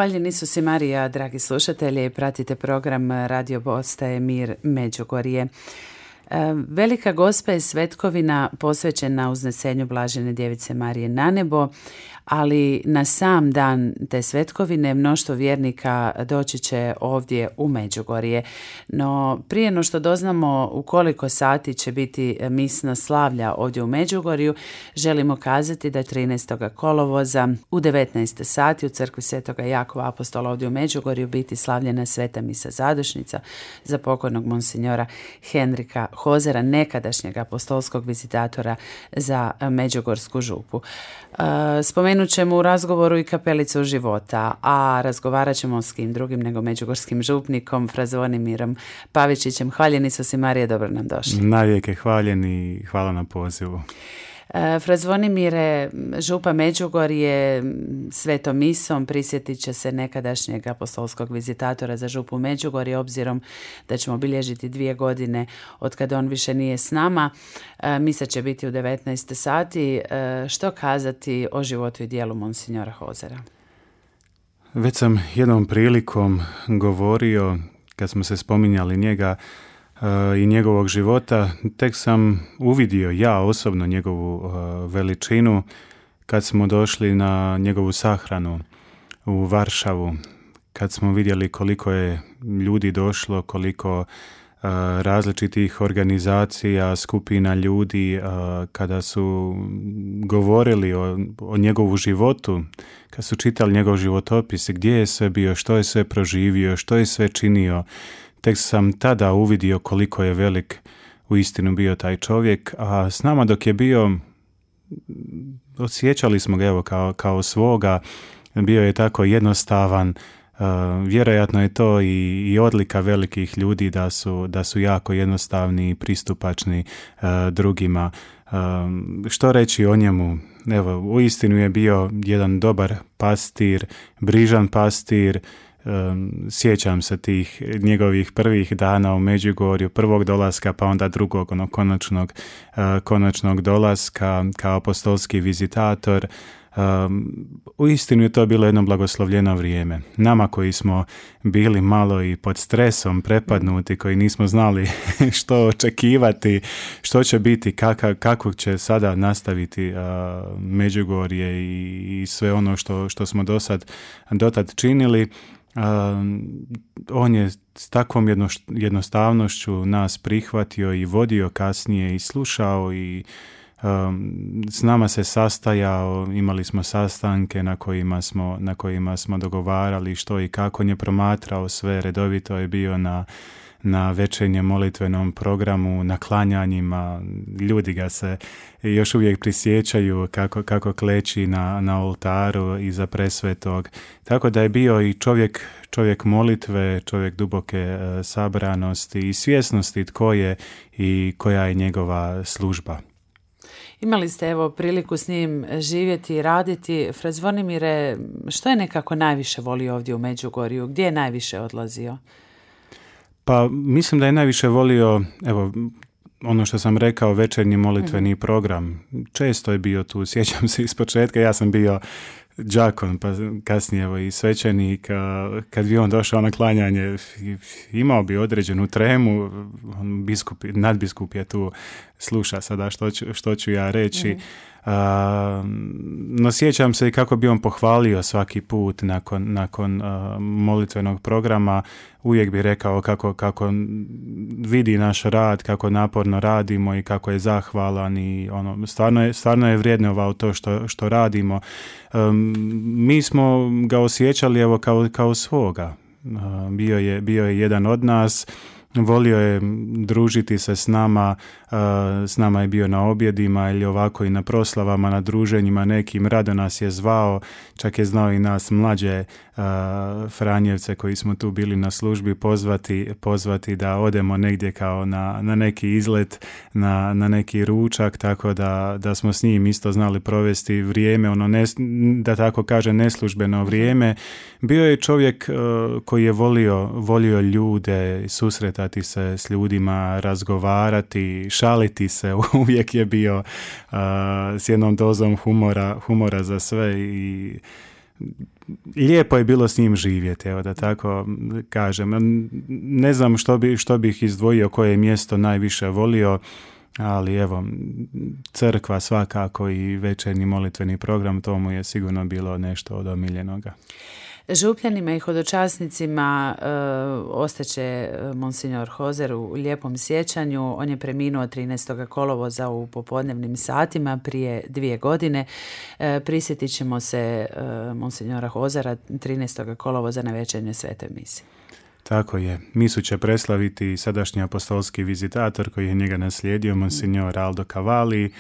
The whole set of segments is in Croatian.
Hvaljeni Isus Marija, dragi slušatelji, pratite program Radio Postaje Mir Međugorje. Velika Gospa je svetkovina posvećena uznesenju Blažene Djevice Marije na nebo, ali na sam dan te svetkovine mnoštvo vjernika doći će ovdje u Međugorje. No prije no što doznamo u koliko sati će biti misna slavlja ovdje u Međugorju, želimo kazati da 13. kolovoza u 19 sati u crkvi Svetoga Jakova Apostola ovdje u Međugorju biti slavljena sveta misa zadušnica za pokojnog monsinjora Henrika Hozera, nekadašnjeg apostolskog vizitatora za Međugorsku župu. Spomenut ćemo u razgovoru i kapelicu života, a razgovarat ćemo s kim drugim nego međugorskim župnikom fra Zvonimirom Pavičićem. Hvaljeni Isus Marije, dobro nam došli. Navijeke hvaljeni i hvala na pozivu. Fra Zvonimire, župa Međugorje svetom misom prisjetit će se nekadašnjeg apostolskog vizitatora za župu Međugorje, obzirom da ćemo obilježiti 2 godine od kada on više nije s nama. Misa će biti u 19 sati. Što kazati o životu i dijelu monsinjora Hozera? Već sam jednom prilikom govorio, kad smo se spominjali njega i njegovog života, tek sam uvidio ja osobno njegovu veličinu kad smo došli na njegovu sahranu u Varšavu, kad smo vidjeli koliko je ljudi došlo, koliko različitih organizacija, skupina ljudi, kada su govorili o njegovu životu, kad su čitali njegov životopis, gdje je sve bio, što je sve proživio, što je sve činio. Tek sam tada uvidio koliko je velik uistinu bio taj čovjek, a s nama dok je bio, osjećali smo ga evo kao svoga, bio je tako jednostavan, vjerojatno je to i odlika velikih ljudi da su jako jednostavni i pristupačni drugima. Što reći o njemu? Evo, uistinu je bio jedan dobar pastir, brižan pastir. Sjećam se tih njegovih prvih dana u Međugorju, prvog dolaska pa onda drugog konačnog dolaska kao apostolski vizitator. Uistinu je to bilo jedno blagoslovljeno vrijeme. Nama koji smo bili malo i pod stresom prepadnuti, koji nismo znali što očekivati, što će biti, kako će sada nastaviti Međugorje i sve ono što smo dotad činili, on je s takvom jednostavnošću nas prihvatio i vodio kasnije i slušao i s nama se sastajao, imali smo sastanke na kojima smo dogovarali što i kako. On je promatrao sve, redovito je bio na večernjem molitvenom programu, na klanjanjima. Ljudi ga se još uvijek prisjećaju kako kleči na oltaru iza presvetog. Tako da je bio i čovjek molitve, čovjek duboke sabranosti i svjesnosti tko je i koja je njegova služba. Imali ste evo priliku s njim živjeti i raditi. Fra Zvonimire, što je nekako najviše volio ovdje u Međugorju? Gdje je najviše odlazio? Pa mislim da je najviše volio, evo, ono što sam rekao, večernji molitveni program. Često je bio tu, sjećam se iz početka, ja sam bio đakon, pa kasnije evo i svećenik. Kad bi on došao na klanjanje, imao bi određenu tremu, nadbiskup je tu, sluša sada što ću ja reći. No sjećam se i kako bi on pohvalio svaki put nakon molitvenog programa. Uvijek bi rekao kako vidi naš rad, kako naporno radimo i kako je zahvalan i stvarno je vrijednovao to što radimo. Mi smo ga osjećali evo kao svoga. Bio je jedan od nas. Volio je družiti se s nama je bio na objedima ili ovako i na proslavama, na druženjima nekim, rado nas je zvao, čak je znao i nas mlađe Franjevce koji smo tu bili na službi pozvati da odemo negdje kao na neki izlet, na neki ručak, tako da smo s njim isto znali provesti vrijeme, da tako kaže neslužbeno vrijeme. Bio je čovjek koji je volio ljude, susretati se s ljudima, razgovarati, šaliti se, uvijek je bio s jednom dozom humora za sve i lijepo je bilo s njim živjeti, evo da tako kažem. Ne znam što bih izdvojio, koje mjesto najviše volio, ali evo, crkva svakako i večernji molitveni program, to mu je sigurno bilo nešto od omiljenoga. Župljanima i hodočasnicima ostaće monsignor Hozer u lijepom sjećanju. On je preminuo 13. kolovoza u popodnevnim satima prije 2 godine. Prisjetit ćemo se monsignora Hozera 13. kolovoza na večernjoj svetoj misi. Tako je. Misu će preslaviti sadašnji apostolski vizitator koji je njega naslijedio, monsignor Aldo Cavalli.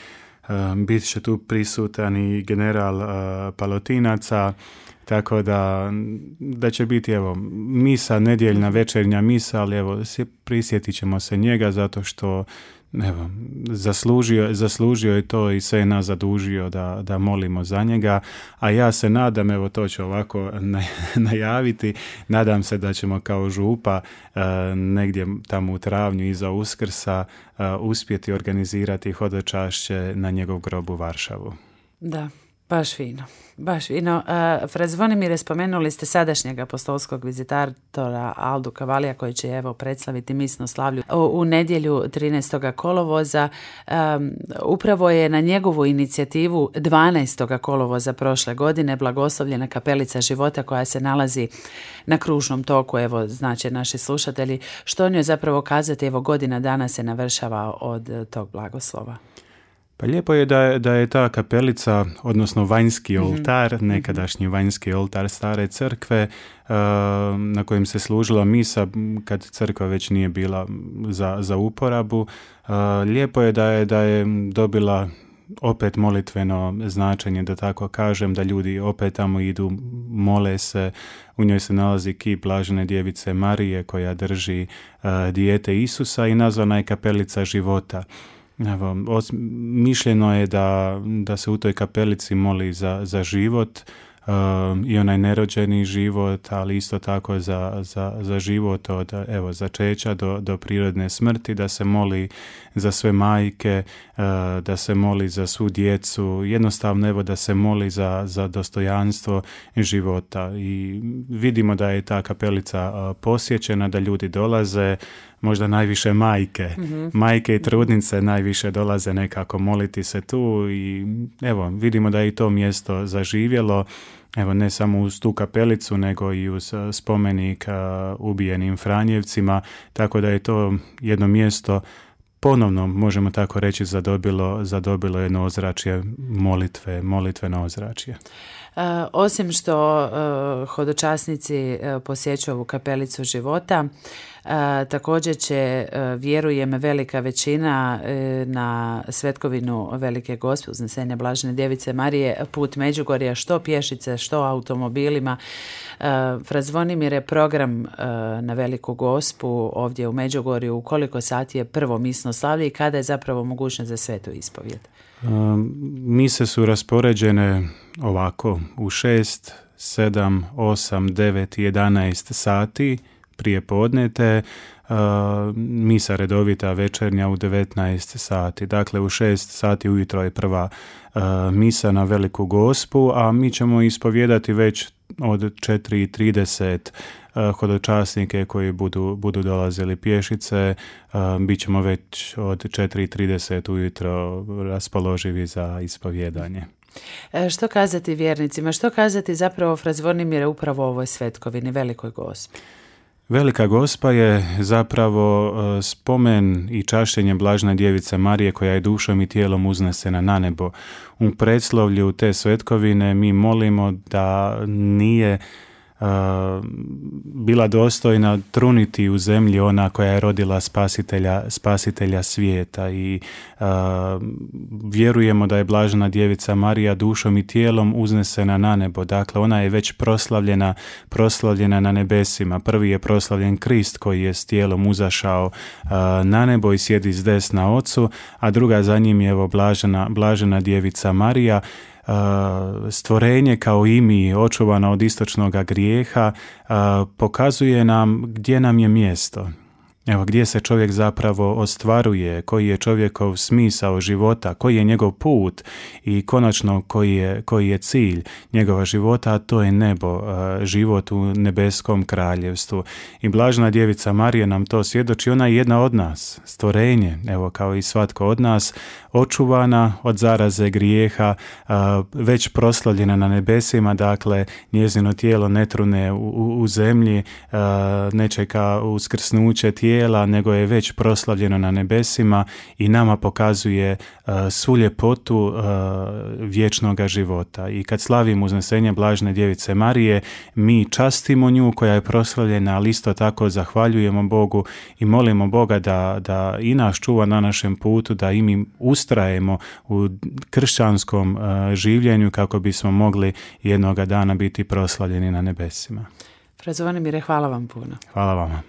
Bit će tu prisutan i general Palotinaca, tako da će biti evo misa, nedjeljna večernja misa, ali evo prisjetit ćemo se njega zato što evo, zaslužio je to i sve nas zadužio da molimo za njega, a ja se nadam, evo to ću ovako najaviti, nadam se da ćemo kao župa negdje tamo u travnju iza Uskrsa uspjeti organizirati hodočašće na njegov grob u Varšavu. Da. Baš fino. Fra Zvonimire, spomenuli ste sadašnjeg apostolskog vizitatora Aldu Cavallija koji će evo predstaviti misno slavlju u nedjelju 13. kolovoza. Upravo je na njegovu inicijativu 12. kolovoza prošle godine blagoslovljena kapelica života koja se nalazi na kružnom toku. Evo, znači naši slušatelji, što o njoj zapravo kazati, evo godina dana se navršava od tog blagoslova. Pa lijepo je da je ta kapelica, odnosno vanjski oltar, nekadašnji vanjski oltar stare crkve, na kojem se služila misa kad crkva već nije bila za uporabu. Lijepo je da je dobila opet molitveno značenje, da tako kažem, da ljudi opet tamo idu, mole se. U njoj se nalazi kip blažene djevice Marije koja drži dijete Isusa i nazvana je kapelica života. Evo, mišljeno je da se u toj kapelici moli za život i onaj nerođeni život, ali isto tako za život od začeća do prirodne smrti, da se moli za sve majke, da se moli za svu djecu, jednostavno evo da se moli za dostojanstvo života. I vidimo da je ta kapelica posjećena, da ljudi dolaze, možda najviše majke i trudnice najviše dolaze nekako moliti se tu i evo vidimo da je i to mjesto zaživjelo, evo ne samo uz tu kapelicu nego i uz spomenik ubijenim Franjevcima, tako da je to jedno mjesto ponovno, možemo tako reći, zadobilo jedno ozračje molitveno ozračje. Osim što hodočasnici posjećuju ovu kapelicu života, također će, vjerujem, velika većina na svetkovinu Velike Gospe uznesenja blažene djevice Marije put Međugorja, što pješice, što automobilima. Fra Zvonimire, program na Veliku Gospu ovdje u Međugorju, u koliko sati je prvo misno slavlje i kada je zapravo mogućnost za svetu ispovijed? Mise su raspoređene ovako u 6, 7, 8, 9, 11 sati prije podnete, misa redovita večernja u 19 sati. Dakle, u 6 sati ujutro je prva misa na Veliku Gospu, a mi ćemo ispovijedati već od 4:30 hodočasnike koji budu dolazili pješice. Bit ćemo već od 4:30 ujutro raspoloživi za ispovjedanje. Što kazati vjernicima? Što kazati zapravo, fra Zvonimire, upravo o ovoj svetkovini, Velikoj Gospi? Velika Gospa je zapravo spomen i čašćenje blažene djevice Marije koja je dušom i tijelom uznesena na nebo. U predslovlju te svetkovine mi molimo da nije bila dostojna truniti u zemlji ona koja je rodila spasitelja svijeta i vjerujemo da je blažena djevica Marija dušom i tijelom uznesena na nebo. Dakle, ona je već proslavljena na nebesima. Prvi je proslavljen Krist koji je s tijelom uzašao na nebo i sjedi s desna Ocu, a druga za njim je evo blažena djevica Marija, stvorenje kao i mi, očuvana od istočnog grijeha, pokazuje nam gdje nam je mjesto. Evo, gdje se čovjek zapravo ostvaruje, koji je čovjekov smisao života, koji je njegov put i konačno koji je cilj njegova života, a to je nebo, život u nebeskom kraljevstvu. I blažena djevica Marija nam to svjedoči, ona je jedna od nas, stvorenje, evo kao i svatko od nas, očuvana od zaraze grijeha, već proslavljena na nebesima, dakle njezino tijelo ne trune u zemlji, ne čeka uskrsnuće tijela, nego je već proslavljeno na nebesima i nama pokazuje svu ljepotu vječnoga života. I kad slavimo uznesenje blažene djevice Marije, mi častimo nju koja je proslavljena, ali isto tako zahvaljujemo Bogu i molimo Boga da i nas čuva na našem putu, da i mi ustrajemo u kršćanskom življenju kako bismo mogli jednoga dana biti proslavljeni na nebesima. Fra Zvonimire, hvala vam puno. Hvala vama.